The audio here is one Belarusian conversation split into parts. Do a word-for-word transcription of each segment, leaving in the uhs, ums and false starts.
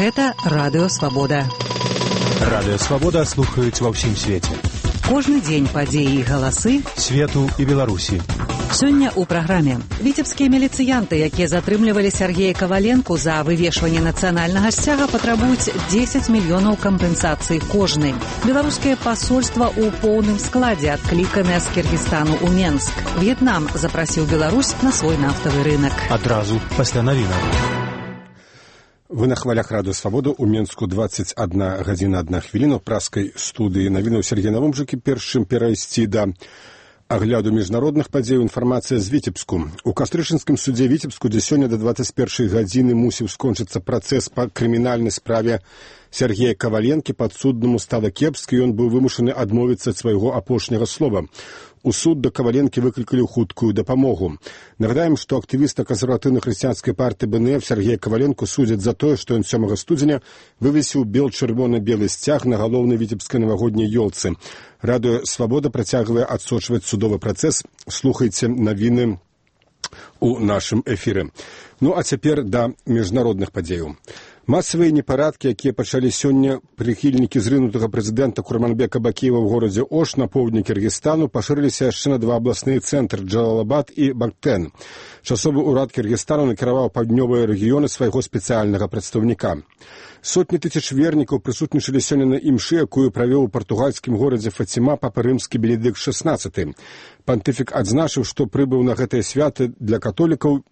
Гэта Радыё Свабода. Радыё Свабода слухаюць ва ўсім свеце. Кожны дзень падзеі і галасы свету і Беларусі. Сёння ў праграме віцебскія міліцыянты, якія затрымлівалі Сергея Каваленку за вывешванне нацыянальнага сцяга, патрабуюць дзесяць мільёнаў кампенсацыі кожны. Беларускае пасольства ў поўным складзе адкліканае з Кіргізстану ў Менск. В'етнам запрасіў Беларусь на свой нафтавы рынок. Адразу пасля навінаў. Вы на хвалях Радыё Свабода. У Менску дваццаць адна гадзіна адна хвіліна. У праскай студыі навінаў Сергей Навумжыкі. Першым перайсці да агляду міжнародных падзей, інфармацыя з Віцебску. У кастрычынскім судзе Віцебску, дзе сёння да дваццаць першай гадзіны мусіў скончыцца працэс па крымінальнай справе Сергея Каваленкі, падсуднаму стала кепска, і ён быў вымушаны адмовіцца ад свайго апошняга слова. У суд да Каваленкі выклікалі хуткую дапамогу. Нагадаем, што актывіста кансерватыўна-хрысціянскай партыі Бэ Эн Эф Сергея Каваленку судзяць за тое, што ён сёмага студзеня вывесіў бел-чырвона-белы сцяг на галоўнай віцебскай навагодняй ёлцы. Радыё Свабода працягвае адсочваць судовы працэс. Слухайце навіны у нашым эфіры. Ну а цяпер да міжнародных падзеяў. Масавыя непарадкі, якія пачалі сёння прыхільнікі зрынутага прэзідэнта Курманбека Бакіева ў горадзе Ош на поўдні Кіргізстану, пашырыліся яшчэ на два абласныя цэнтры Джалалабад і Бактэн. Часовы ўрад Кіргізстану накіраваў паўднёвыя рэгіёны свайго спецыяльнага прадстаўніка. Сотні тысяч вернікаў прысутнічалі сёння на імшы, якую правёў у партугальскім горадзе Фаціма папа рымскі Бенедыкт шэснаццаты. Пантыфік адзначыў, што прыбыў на гэтыя святы для католікаў,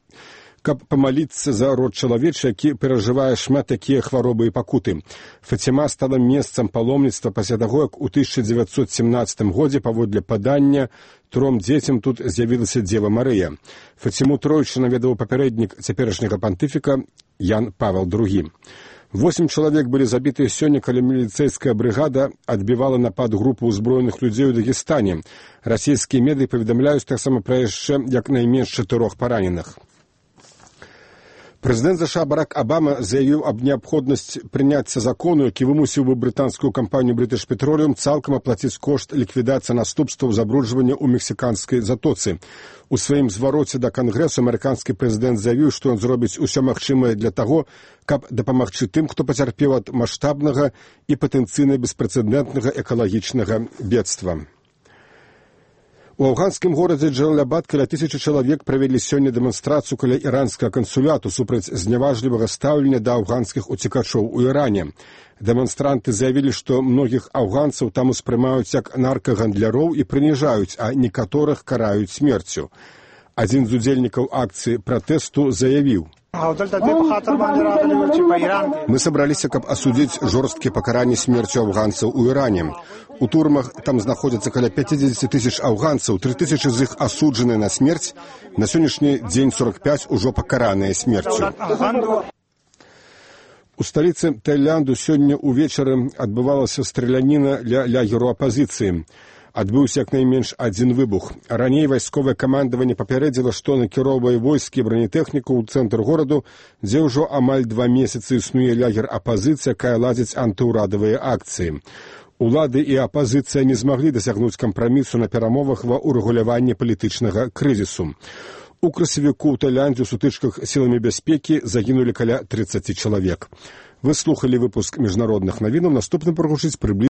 каб памаліцца за род чалавечы, які перажывае шмат такія хваробы і пакуты. Фаціма стала месцам паломніцтва пасля таго, як у тысяча дзевяцьсот семнаццатым годзе паводле падання тром дзецям тут з'явілася Дзева Марыя. Фаціму тройчы наведаў папярэднік цяперашняга пантыфіка Ян Павел другі. Восем чалавек былі забітыя сёння, калі міліцэйская брыгада адбівала напад групы ўзброеных людзей у Дагестане. Расійскія медыі паведамляюць таксама пра яшчэ як найменш чатырох параненых. Прэзідэнт ЗША Барак Абама заявіў аб неабходнасці прыняцця закону, які вымусіў бы брытанскую кампанію British Petroleum цалкам аплаціць кошт ліквідацыі наступстваў забруджвання ў мексіканскай затоцы. У сваім звароце да кангрэсу амерыканскі прэзідэнт заявіў, што ён зробіць усё магчымае для таго, каб дапамагчы тым, хто пацярпеў ад маштабнага і патэнцыйна беспрэцэдэнтнага экалагічнага бедства. У афганскім горадзе Джалалабад каля тысячы чалавек правялі сёння дэманстрацыю каля іранскага кансуляту супраць зняважлівага стаўлення да афганскіх уцекачоў у Іране. Дэманстранты заявілі, што многіх афганцаў там успрымаюць як наркагандляроў і прыніжаюць, а некаторых караюць смерцю. Адзін з удзельнікаў акцыі пратэсту заявіў: «Мы сабраліся, каб асудзіць жорсткія пакаранні смерцю афганцаў у Іране. У турмах там знаходзяцца каля пяцьдзесят тысяч афганцаў, тры тысячы з іх асуджаныя на смерць, на сённяшні дзень сорок пяць ужо пакараныя смерцю». У сталіцы Таіланду сёння ўвечары адбывалася страляніна ля лагеру апазіцыі. Адбыўся як найменш адзін выбух. Раней вайсковае камандаванне папярэдзіла, што накіроўвае войскі і бронетэхніку ў цэнтр гораду, дзе ўжо амаль два месяцы існуе лагер апазіцыі, якая ладзіць антыўрадавыя акцыі. Улады і апазіцыя не змаглі дасягнуць кампрамісу на перамовах ва ўрэгуляванні палітычнага крызісу. У красавіку ў Таіландзе ў сутычках сіламі бяспекі загінулі каля трыццаці чалавек. Вы слухалі выпуск міжнародных навінаў. Наступны прагучыць прыблізна